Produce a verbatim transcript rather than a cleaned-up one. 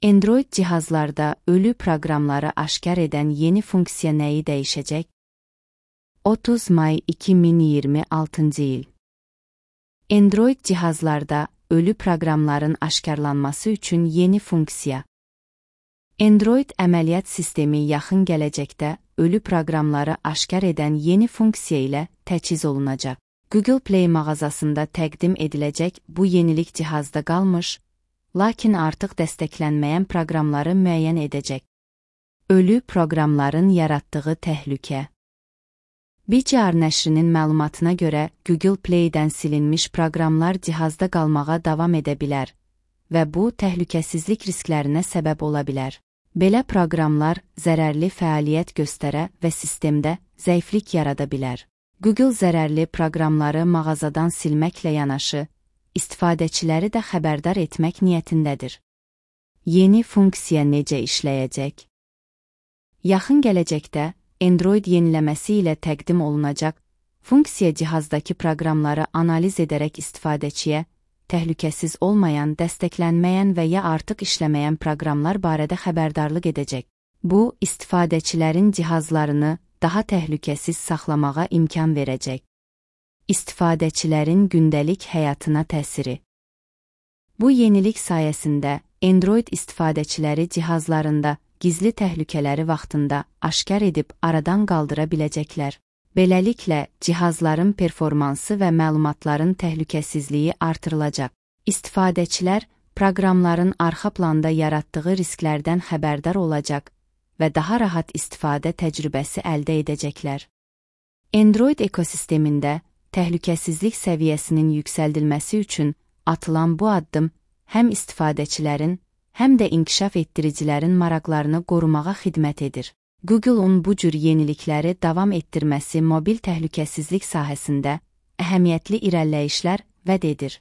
Android cihazlarda ölü proqramları aşkar edən yeni funksiya nəyi dəyişəcək? otuz may iki min iyirmi altıncı il. Android cihazlarda ölü proqramların aşkarlanması üçün yeni funksiya. Android əməliyyat sistemi yaxın gələcəkdə ölü proqramları aşkar edən yeni funksiya ilə təchiz olunacaq. Google Play mağazasında təqdim ediləcək bu yenilik cihazda qalmış, lakin artıq dəstəklənməyən proqramları müəyyən edəcək. Ölü proqramların yaratdığı təhlükə. B C R nəşrinin məlumatına görə Google Play-dən silinmiş proqramlar cihazda qalmağa davam edə bilər və bu təhlükəsizlik risklərinə səbəb ola bilər. Belə proqramlar zərərli fəaliyyət göstərə və sistemdə zəiflik yarada bilər. Google zərərli proqramları mağazadan silməklə yanaşı, istifadəçiləri də xəbərdar etmək niyyətindədir. Yeni funksiya necə işləyəcək? Yaxın gələcəkdə Android yeniləməsi ilə təqdim olunacaq funksiya cihazdakı proqramları analiz edərək istifadəçiyə təhlükəsiz olmayan, dəstəklənməyən və ya artıq işləməyən proqramlar barədə xəbərdarlıq edəcək. Bu, istifadəçilərin cihazlarını daha təhlükəsiz saxlamağa imkan verəcək. İstifadəçilərin gündəlik həyatına təsiri. Bu yenilik sayəsində Android istifadəçiləri cihazlarında gizli təhlükələri vaxtında aşkar edib aradan qaldıra biləcəklər. Beləliklə, cihazların performansı və məlumatların təhlükəsizliyi artırılacaq. İstifadəçilər proqramların arxa planda yaratdığı risklərdən xəbərdar olacaq və daha rahat istifadə təcrübəsi əldə edəcəklər. Android ekosistemində təhlükəsizlik səviyyəsinin yüksəldilməsi üçün atılan bu addım həm istifadəçilərin, həm də inkişaf etdiricilərin maraqlarını qorumağa xidmət edir. Google-un bu cür yenilikləri davam etdirməsi mobil təhlükəsizlik sahəsində əhəmiyyətli irəliləyişlər vəd edir.